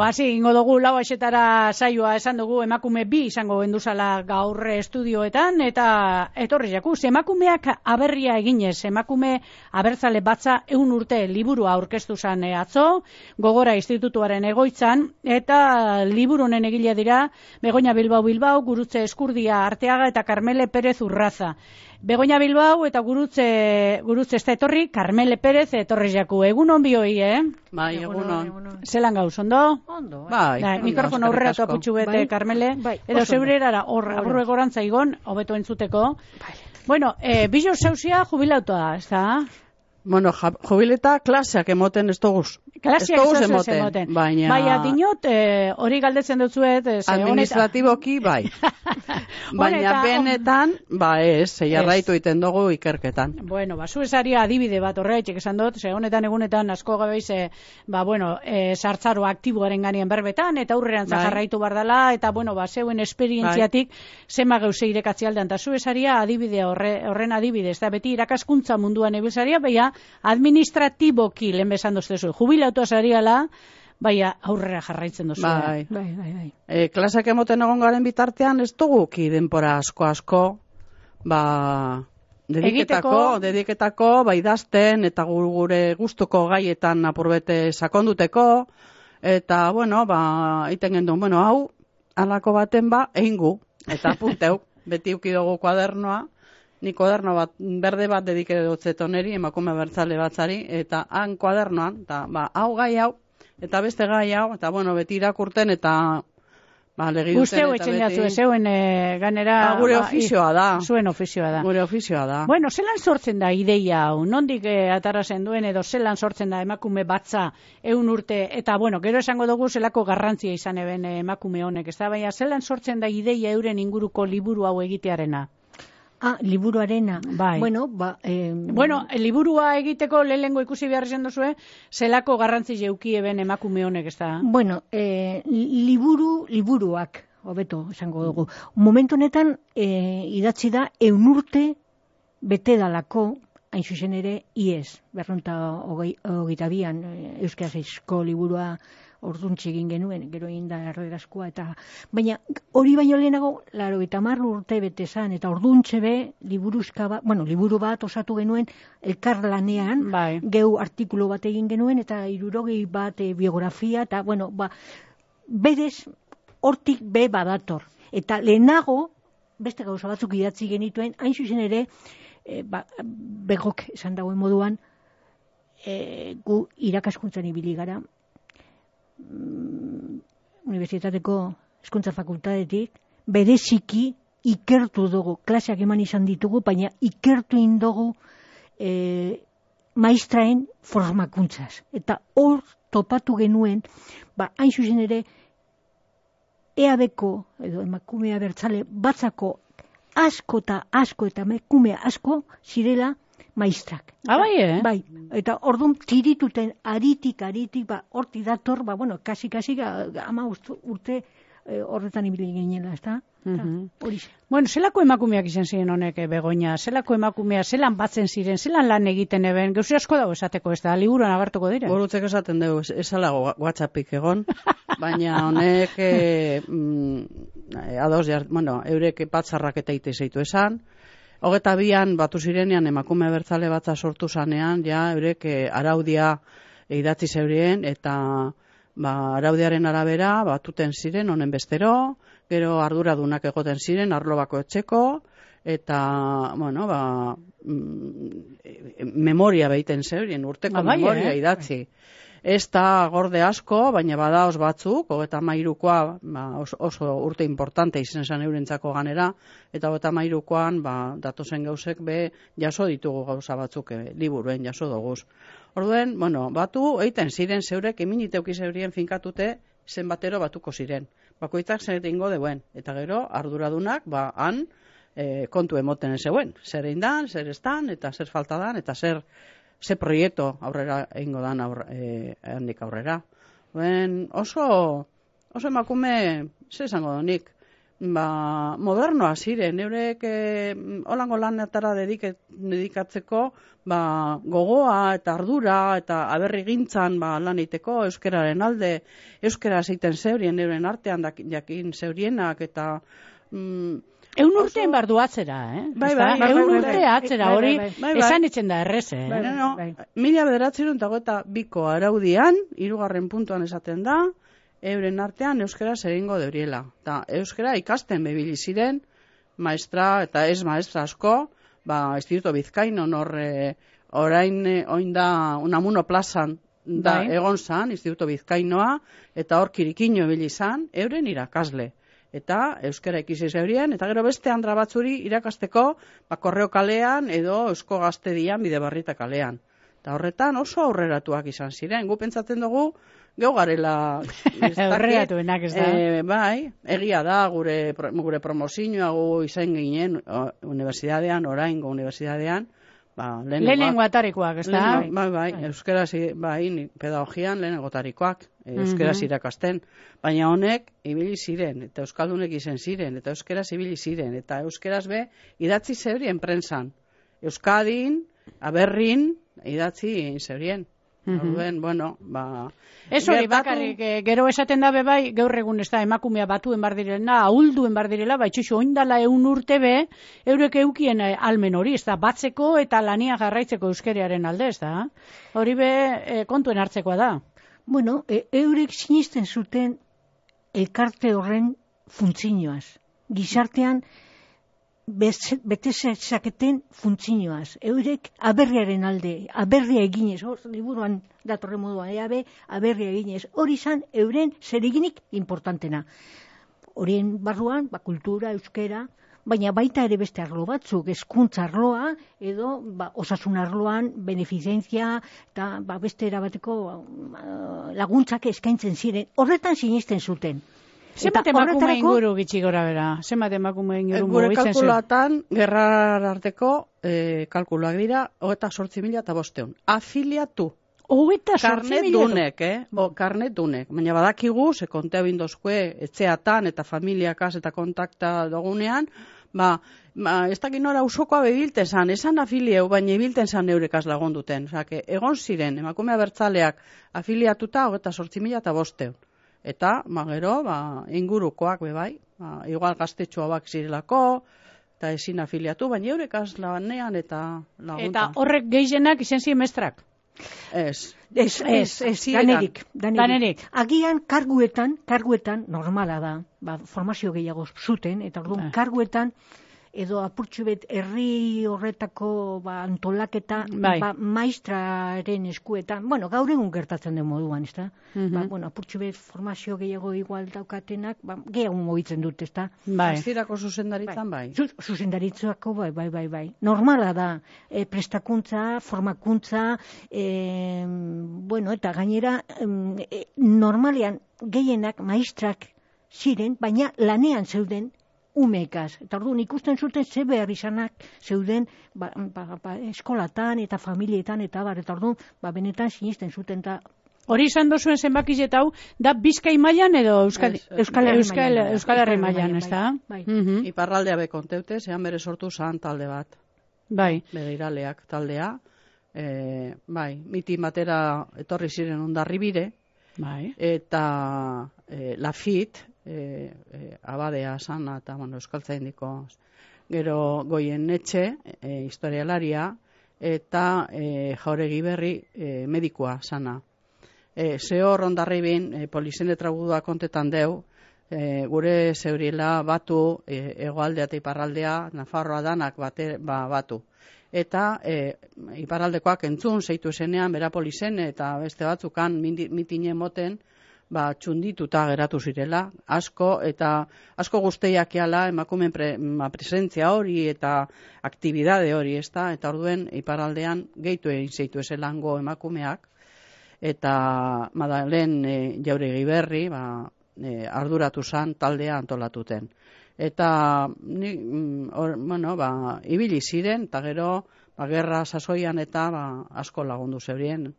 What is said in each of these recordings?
Hasi ingo dugu lau aixetara saioa esan dugu emakume bi izango genduzala gaur estudioetan eta etorri jakuz. Emakumeak aberria eginez, emakume abertzale batza 100 urte liburua aurkeztu zan atzo, Gogora Institutuaren egoitzan, eta liburu honen egile dira Begoña Bilbao, Gurutze Eskurdia Arteaga eta Carmele Pérez Urraza. Begoña Bilbao eta Gurutze ez da etorri, Carmele Pérez etorri jaku. Egunon bioi, Bai, egunon. Zelan gauz, ondo? Ondo, bai. Mikrofono aurreratu aputxu bete, Carmele. Edo zeurera, aburru egorantza igon, hobeto entzuteko. Bueno, bilo zeuzia jubilautoa, ez da? Bueno, jubileta klaseak emoten ez doguz. Klaseak ez doguz emoten. Baina dinot, hori galdetzen dutzuet. Administratiboki, bai. Baina benetan, ez, jarraitu iten dugu ikerketan. Bueno, zu esaria adibide bat horreitxek esan dut, egunetan asko gabeiz, sartzaro aktiboaren ganien berbetan, eta aurreran jarraitu bardala, eta zeuen esperientziatik zema geuse irekatzialdean, eta zu esaria adibide horren adibide, ez da beti irakaskuntza munduan ebilzaria, baina administratiboki lehen besan doztezu, jubilautua zariala, baina aurrera jarraitzen dozu. Bai. Klaseak emoten egon garen bitartean ez duguki denpora asko, dediketako, idazten, eta gure gustuko gaietan apurbete sakonduteko, eta, iten gendun, hau, alako baten egingu, eta punteu, beti ukidogu kuadernoa, ni kuaderno bat, berde bat dedikedotzet oneri, emakume abertzale batzari, eta han kuadernoan, eta hau gai hau, eta beste gai hau, eta beti irakurten, eta legiduten, Usteu etxen jatzu, zeuen ganera... Gure ofizioa da. Zuen ofizioa da. Gure ofizioa da. Bueno, zelan sortzen da ideia hau? Nondik atarazen duen edo zelan sortzen da emakume batza 100 urte, eta gero esango dugu zelako garrantzia izan eben emakume honek, ez da, baina zelan sortzen da ideia euren inguruko liburu hau egitearena? Liburuarena. Bai. Liburua egiteko lehengo ikusi behar izan duzue, zelako garrantzi jeuki eben emakume honek, ez da? Liburuak, hobeto esango dugu. Momentu honetan, idatzi da, 100 urte bete dalako, hain zuzen ere, IES, 222an euskarazko liburua orduntxe egin genuen, gero egin da errederaskoa, baina hori baino lehenago, 80 urte bete zan, eta orduntxe be, liburu bat osatu genuen elkarlanean, geu artikulu bat egin genuen, eta 60 bat biografia, eta berez, hortik be badator. Eta lehenago, beste gauza batzuk idatzi genituen, hain zuzen ere, begok esan dagoen moduan, gu irakaskuntzan ibili gara, Unibertsitateko Hezkuntza Fakultatetik, bereziki ikertu dugu, klaseak eman izan ditugu, baina ikertu indugu maistraen formakuntzaz. Eta hor topatu genuen, hain zuzen ere, EAB-ko, edo emakume abertzale batzako asko eta emakume asko zirela maistrak. Bai, eta orduan tirituten aritik, horti dator, kasi, 10 urte horretan ibili ginela, ez da? Zelako emakumeak izan ziren honek, Begoña, zelako emakumea, zelan batzen ziren, zelan lan egiten eben, gauzi asko dago esateko, ez da, liburuan agertuko dira? Burutzek esaten dugu, esalago WhatsAppik egon, baina honek, eurek batzarrak eta ite zeitu esan, 22an batu zirenean emakume abertzale batza sortu zanean, eurek araudia idatzi zeurien, eta araudiaren arabera batuten ziren honen bestero, gero arduradunak egoten ziren arlo bakoitzeko, eta memoria behiten zeurien, urteko memoria idatzi. Ez da gorde asko, baina badaoz batzuk, 33koa oso urte importante izan zen eurentzako ganera, eta 33koan datozen gauzek jaso ditugu gauza batzuk liburuen jaso doguz. Orduen, batu eiten ziren zeurek, eminiteuki zeurien finkatute zenbatero batuko ziren. Bakoitzak zer egingo deuen, eta gero arduradunak han kontu emoten zeuen. Zer egin dan, zer ez dan, eta zer falta dan, eta zer proiektu aurrera egingo dan handik aurrera. Oso emakume, zer esango donik, modernoa ziren, eurek holango lanetara dedikatzeko gogoa eta ardura eta aberri gintzan lan egiteko euskararen alde, euskara zeiten zeurien euren artean jakin zeurienak eta Eun urtean bardu atzera, Eun urte atzera, hori esan etxen da errez, Mila 1922ko araudian, 3. puntuan esaten da, euren artean euskara zeringo deuriela. Eta euskara ikasten bebili ziren, maestra eta ez maestra asko, Instituto Bizkaino orain oinda Unamuno plazan da egon zan, Instituto Bizkainoa, eta hor kirikino ebili zan, euren irakasle. Eta euskara ikisi zeurien, eta gero beste andra batzuri irakasteko Korreo kalean edo Eusko Gaztedian Bidebarrieta kalean. Eta horretan oso aurreratuak izan ziren. Gu pentsatzen dugu, geu garela... Aurreratuenak ez da. Bai, egia da, gure promozioa gu izan ginen unibertsitatean, oraingo unibertsitatean, lehenengo atarikoak, ez da? Bai, euskaraz, pedagogian lehenengo atarikoak, euskaraz irakasten. Baina honek ibili ziren, eta euskaldunek izen ziren, eta euskaraz ibili ziren, eta euskaraz idatzi zeurien prentsan. Euskadin, Aberrin, idatzi zeurien. Ez hori bakarrik, gero esaten dabe bai, gaur egun ez da emakumea batuen bar direla, ahulduen bar direla, baitxuxo oindala 100 urte eurek eukien almen hori, ez da, batzeko eta lania jarraitzeko euskerearen alde, ez da? Hori kontuen hartzekoa da. Bueno, eurek sinisten zuten elkarte horren funtzioaz. Gizartean bete zaketen funtzioaz. Eurek aberriaren alde, aberria eginez, liburuan datorre moduan, aberria eginez. Hori izan euren zereginik importantena. Horien barruan, kultura, euskera, baina baita ere beste arlo batzuk, hezkuntza arloa, edo osasun arloan, benefizentzia, eta beste erabateko laguntzak eskaintzen ziren. Horretan sinisten zuten. Zenbat emakume inguru gitxi gora bera? Zenbat emakume inguru gure kalkulatan, gerrar arteko kalkuluak dira, 28.500. Afiliatu. Karnetunek, karnetunek. Baina badakigu, ze kontea bindozkue, etxeatan eta familiakaz eta kontakta dugunean, ez dakin nora usokoa bebilten zan, esan afilieu, baina ebilten zan eurekaz lagonduten. Osake, egon ziren, emakumea bertzaleak afiliatuta, 28.500. Eta, gero, ingurukoak bebai, igual gaztetxoa bak zirelako, eta ezin afiliatu, baina eurekaz lanean eta laguntan. Eta horrek gehienak izen ziren mestrak? Ez, danerik. Agian karguetan normala da, formazio gehiago zuten, eta orduan karguetan, edo apurtxu bet herri horretako antolaketa maestraren eskuetan, gaur egun gertatzen den moduan, ez da? Apurtxu bet formazio gehiago igual daukatenak, gehiago mogitzen dut, ez da? Hasierako zuzendaritzan bai? Zuzendaritzako bai. Normala da, prestakuntza, formakuntza, eta gainera, normalean gehienak maestrak ziren, baina lanean zeuden umeekaz. Eta orduan ikusten zuten ze behar izanak zeuden eskolatan eta familietan eta eta orduan benetan sinisten zuten. Hori izan dozuen zenbakiet hau, da Bizkai mailan edo Euskal Herri mailan, ez da? Iparraldea bekonteute, zehan bere sortu zan talde bat. Bai. Begeiraleak taldea. Mitin batera etorri ziren Hondarribire. Bai. Eta Lafit, abadea sana eta euskaltzaindiko gero Goienetxe, historialaria, eta Jauregi Berri, medikua sana. Zehor Hondarribin polizien trabudua kontetan deu, gure zeuriela batu hegoaldea eta iparraldea, Nafarroa danak batu. Eta iparraldekoak entzun zeitu esenean bera polizen eta beste batzukan mitine moten txundituta geratu zirela, asko guzteiak eala emakumen presentzia hori eta aktibidade hori, eta orduen iparraldean gehitu egin zeitu eselango emakumeak, eta Madalen Jauregi Berri arduratu zan taldea antolatuten. Eta ibili ziren, eta gero gerra sasoian eta asko lagundu zeurien,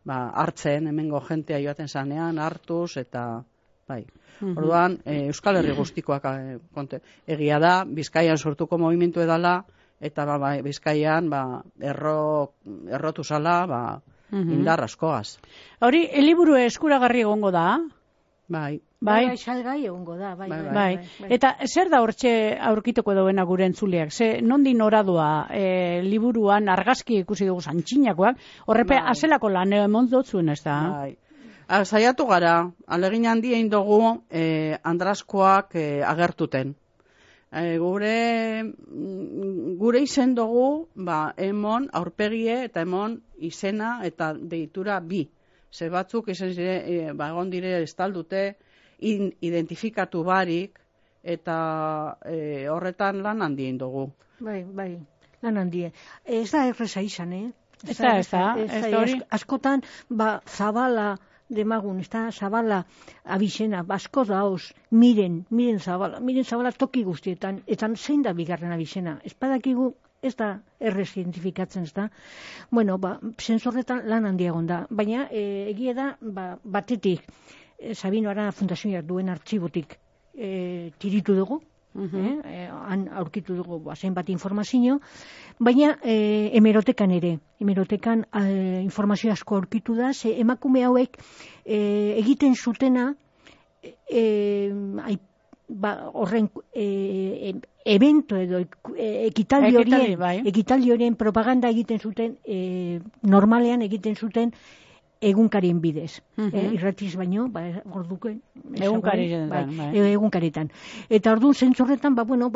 hartzen, hemengo jentea joaten zanean, hartuz, eta bai. Orduan, Euskal Herri guztikoak egia da, Bizkaian sortuko movimentu edala, eta Bizkaian errotu zala indar askoaz. Hori, liburu eskuragarri egongo da? Bai, salgai egongo da, bai. Eta zer da hortxe aurkituko dauena gure entzuleak? Nondin oradoa liburuan argazki ikusi dugu santxinakoak, horrepe azelako lan emon dotzuen ez da? Bai. Saiatu gara, alegin handi egin dugu andraskoak agertuten. Gure izen dugu, emon aurpegie eta emon izena eta deitura bi. Ze batzuk izan egon dire estaldute, identifikatu barik, eta horretan lan handi egin dugu. Bai, lan handi. Ez da erreza izan, Ez da. Askotan, Zabala demagun, ez da, Zabala abizena, asko daoz, miren Zabala toki guztietan, eta zein da bigarren abizena. Ez badakigu, ez da errez identifikatzen, ez da. Bueno, zentzorretan lan handiagon da, baina egia da, batetik, Sabino Arana Fundazioak duen artxibotik tiritu dugu, han aurkitu dugu zenbat informazio, baina hemerotekan informazio asko aurkitu da, ze emakume hauek egiten zutena horren evento edo ekitaldi horien propaganda egiten zuten, normalean egiten zuten egunkarien bidez. Irratiz baino, orduken. Egunkaretan. Eta orduan zentzorretan,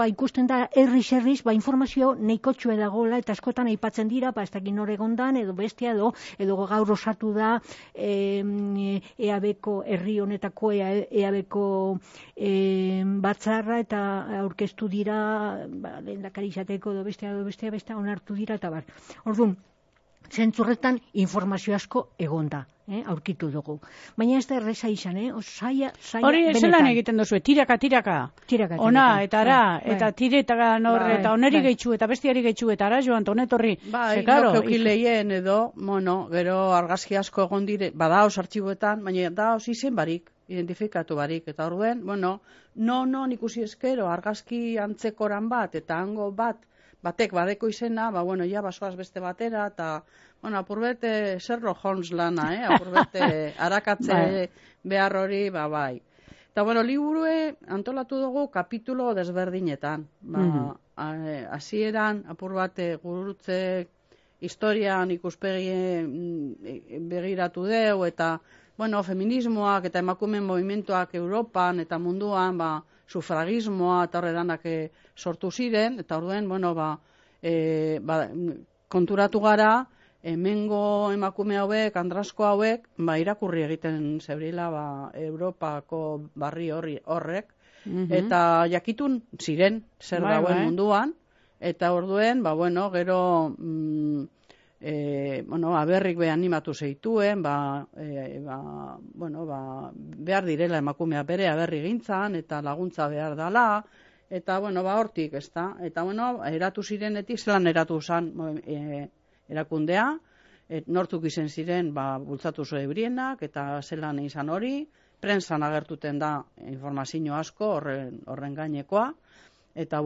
ikusten da herriz, informazio neikotxue dagoela, eta askotan aipatzen dira, ez dakit nor egondan, edo bestia, edo gaur osatu da, EAB-ko, herri honetako EAB-ko batzarra, eta aurkeztu dira, lehendakari izateko, edo bestia, onartu dira, eta bar. Orduan, zentzurretan informazio asko egonda, aurkitu dugu. Baina ez da erreza izan, zaila hori zelan egiten duzu, tiraka. Ona, eta ara, eta tiretaka norre, eta oneri gehitxu, eta bestiari gehitxu, eta ara joan, tonetorri. Lokeukileien edo, gero argazki asko egon dire, badaoz artxiboetan, baina daoz izen barik, identifikatu barik, eta orduen, non ikusi eskero, argazki antzekoran bat, eta hango batek badeko izena, basoaz beste batera, eta, apurbete Sherlock Holmes lana, apurbete harakatze behar hori, bai. Eta, liburue antolatu dugu kapitulo desberdinetan. Hasieran apurbate gurutze historian ikuspegi begiratu deu, eta, feminismoak eta emakumeen movimentoak Europan eta munduan, sufragismoa eta horredanak sortu ziren, eta orduen, konturatu gara, hemengo emakume hauek, andrasko hauek, irakurri egiten zebrila Europako barri horrek, eta jakitun ziren zer dagoen munduan, eta orduen, gero aberrik animatu zeituen, behar direla emakumea bere aberri gintzan, eta laguntza behar dala, eta, hortik, ez da, eta, eratu zirenetik, zelan eratu zan erakundea, nortzuk izen ziren, bultzatu zo ebrienak, eta zelan izan hori, prentsan agertuten da informazio asko, horren gainekoa, eta,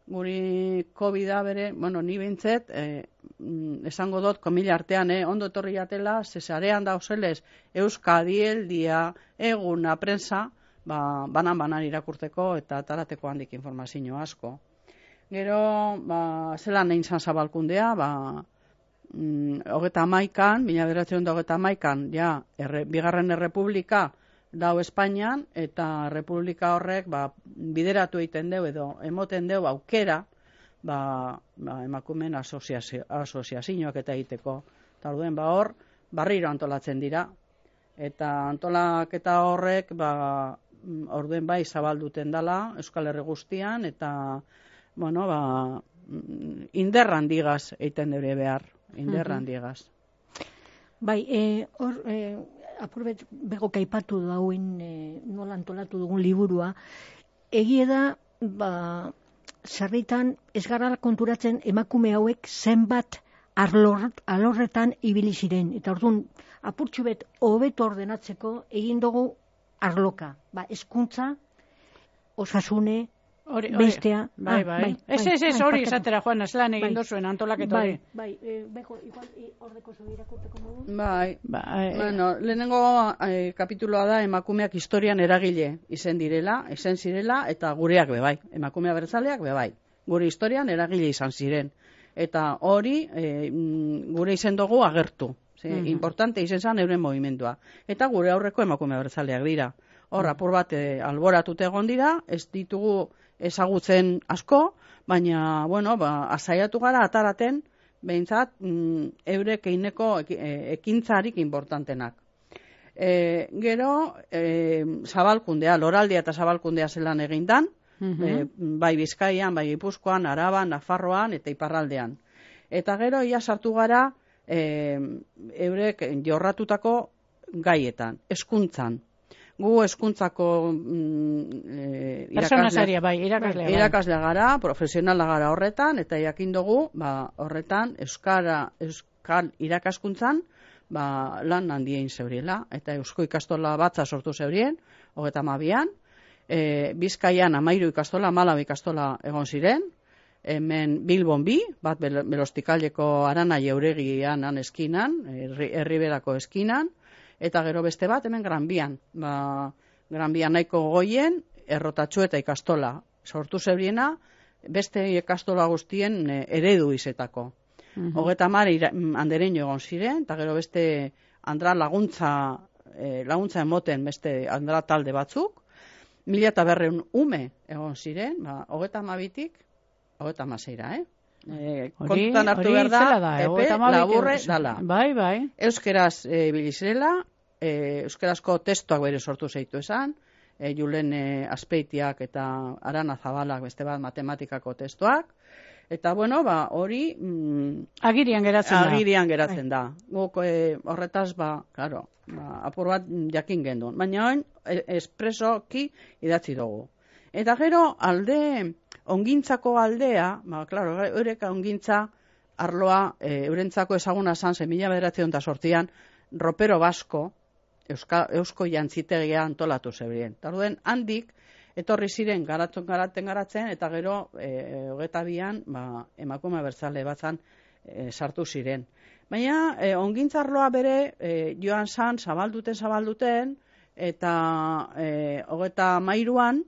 guri COVID-a bere, ni bintzet, esango dut, komila artean, ondo etorri jatela, zesarean dauzelez, Euskadi, Eldia, Eguna, prensa, banan irakurteko eta tarateko handik informazio asko. Gero, zelan egin zan zabalkundea, 1911, bigarren errepublika dau Espainian, eta republika horrek bideratu egiten deu edo emoten deu aukera emakumeen asoziazioak eta egiteko. Eta orduen hor, barriro antolatzen dira. Eta antolaketa horrek orduen zabalduten dala Euskal Herri guztian, eta inderran digaz egiten deure behar, inderran digaz. Bai, hor, apurbet bego kaipatu dauen nola antolatu dugun liburua, egie da, zerritan ez gara konturatzen emakume hauek zenbat alorretan ibili ziren. Eta orduan, apurtxu bet hobeto ordenatzeko egin dugu arloka. Hezkuntza, osasune, bestea. Bai. Ez hori esatera, Juan, lan egin dozuen antolaket hori. Beko, igual, ordeko zobi irakurteko modu? Bai. Bueno, lehenengo kapituloa da emakumeak historian eragile izen zirela, eta gureak bebai. Emakume abertzaleak bebai. Gure historian eragile izan ziren. Eta hori gure izen dugu agertu. Importante izen zan euren movimendua. Eta gure aurreko emakume abertzaleak dira. Hor, apur bat alboratute egon dira, ez ditugu ezagutzen asko, baina, bueno, azaiatu gara ataraten, behintzat, eurek eineko ekintzarik importantenak. Gero, zabalkundea, loraldia eta zabalkundea zelan egindan, bai Bizkaian, bai Gipuzkoan, Araban, Nafarroan eta Iparraldean. Eta gero, ia sartu gara, eurek jorratutako gaietan, hezkuntzan. Gu hezkuntzako irakaslea gara, profesionala gara horretan, eta jakin dugu, horretan, euskal irakaskuntzan, lan handien zeuriela, eta eusko ikastola batza sortu zeurien, 32an, Bizkaian 13 ikastola, 14 ikastola egon ziren, hemen Bilbon 2, bat Belostikaldeko Arana Jauregian eskinan, Herriberako eskinan, eta gero beste bat hemen Gran Bian. Gran Bian nahiko goien, errotatxu eta ikastola. Sortu zebriena, beste ikastola guztien eredu izetako. 30 andereño egon ziren, eta gero beste andra laguntza emoten beste andra talde batzuk. 1200 ume egon ziren, 32tik 36ra, kontutan hartu behar da, epe laburre dala. Bai. Euskeraz bilizirela, euskarazko testuak bere sortu zeitu esan, Julen Azpeitiak eta Arana Zabalak beste bat matematikako testuak, eta bueno, hori agirian geratzen da. Guk horretaz, claro, apur bat jakin gendun, baina oin espresoki idatzi dugu. Eta gero alde ongintzako aldea, claro, eureka ongintza arloa eurentzako ezaguna zan 1908an ropero basko eusko jantzitegia antolatu zebrien. Tarduen handik etorri ziren garatzen eta gero 22an emakume abertzale batzan sartu ziren. Baina ongintza arloa bere joan zan zabalduten eta 33an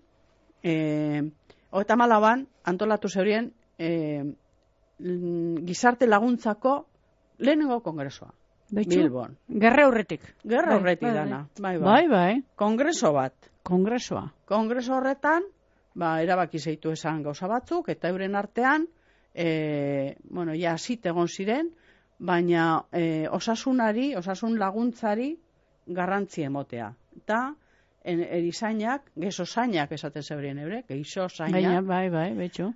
34an antolatu zeurien gizarte laguntzako lehenengo kongresua. Bilbon. Gerra aurretik. Dana. Bai. Kongreso bat. Kongreso horretan, erabaki zeitu esan gauza batzuk, eta euren artean, zit egon ziren, baina osasun laguntzari garrantzi emotea. Eta erizainak, gezosainak esaten zebrien eurek, geizosainak. Bai, betxo.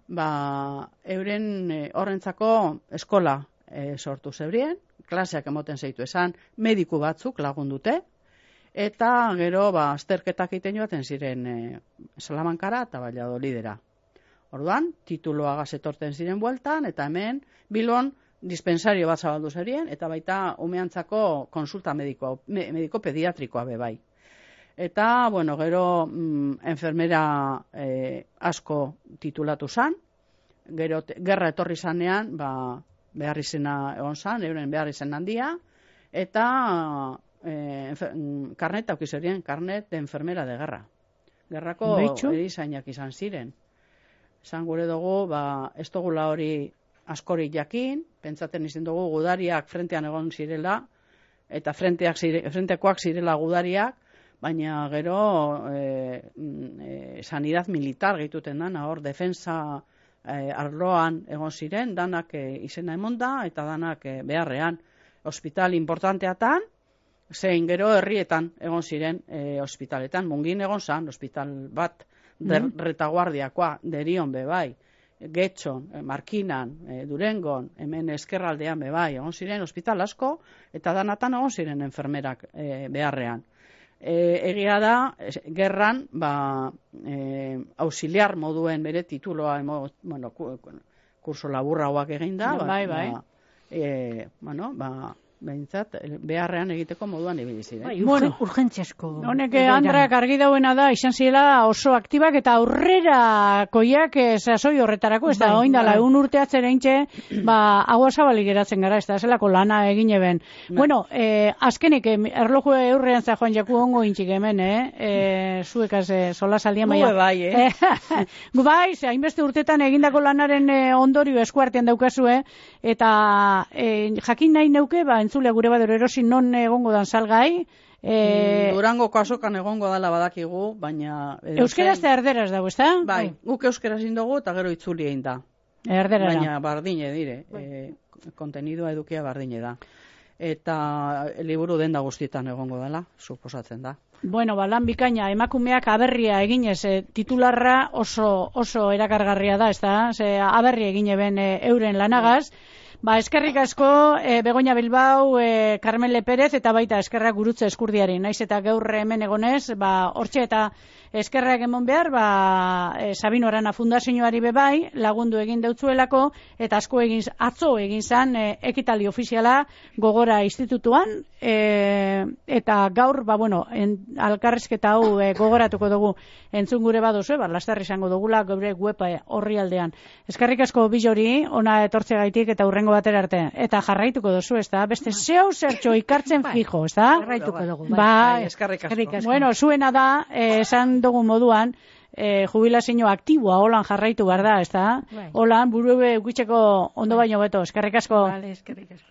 Euren horrentzako eskola sortu zebrien, klaseak emoten zeitu esan, mediku batzuk lagundute, eta gero azterketak egiten joaten ziren Salamankara eta Valladolidera. Orduan, tituloagaz etorten ziren bueltan, eta hemen Bilbon dispensario bat zabaldu zerien, eta baita umeantzako konsulta mediko pediatrikoa bebai. Eta, gero enfermera asko titulatu zan, gero gerra etorri zanean, behar izena egon zan, euren behar izen handia, eta karnet aukizerien, karnet de enfermera de guerra. Gerrako erizainak izan ziren. Esan gure dugu, ez dugula hori askorik jakin, pentsaten izan dugu gudariak frentean egon zirela, eta frentekoak zirela gudariak, baina gero sanidad militar gehituten dana, hor defensa arloan egon ziren, danak izena emonda, eta danak beharrean. Hospital importanteatan, zein gero herrietan egon ziren hospitaletan. Mungin egon zan, hospital bat retaguardiakoa, Derion bebai, Getxon, Markinan, Durengon, hemen eskerraldean bebai, egon ziren hospital asko, eta danatan egon ziren enfermerak beharrean. Egia da, gerran, auxiliar moduen bere tituloa, kurso laburra hauak egin da, behintzat, beharrean egiteko moduan ibili ziren. Bueno, urgentziasko. Honek Andrak argi dauena da, izan zirela oso aktibak eta aurrera koiak sasoi horretarako, ez da, oindala, egun urteatzen eintxe, agua zabalik geratzen gara, ez da, zelako lana egin eben. Bueno, azkenik, erloju eurrean za joan jaku ongo intxik hemen, zuekaz sola saldian baina. Gue bai, Gu bai, hainbeste urtetan egindako lanaren ondorio eskuartean daukazue, eta jakin nahi neuke, entzulea gure badero erosin non egongo dan salgai. Durangoko azokan egongo dala badakigu, baina... Euskeraz eta erderaz dago, ez da? Bai, guk euskeraz indogu eta gero itzuli egin da. Erderaz da. Baina bardine dire, kontenidua edukia bardine da. Eta liburu denda guztietan egongo dela, suposatzen da. Bueno, lan bikaina, emakumeak aberria eginez, titularra oso erakargarria da, ez da? Aberria egin eben euren lanagaz. Eskerrik asko, Begoña Bilbao, Carmen Lepérez, eta baita eskerrak gurutze eskurdiari. Naiz eta gaur hemen egonez, hortxe eta eskerrak emon behar, Sabino Arana Fundazioari bebai, lagundu egin deutzuelako, eta atzo egin zan, ekitali ofiziala Gogora institutuan, eta gaur, alkarrizketa hau gogoratuko dugu entzun gure baduzu, lasterri izango dugula gure web horri aldean. Eskerrik asko Bilori, ona etortzegaitik eta hurrengo batera arte. Eta jarraituko duzu, ez da? Beste zeu zertxo ikartzen fijo, ez da? Jarraituko dugu. Eskerrik asko. Bueno, zuena da, esan dugu moduan, jubilazio aktiboa holan jarraitu behar da, ez da? Holan, buru eukitxeko ondo baino beto. Eskerrik asko. Vale, eskerrik asko.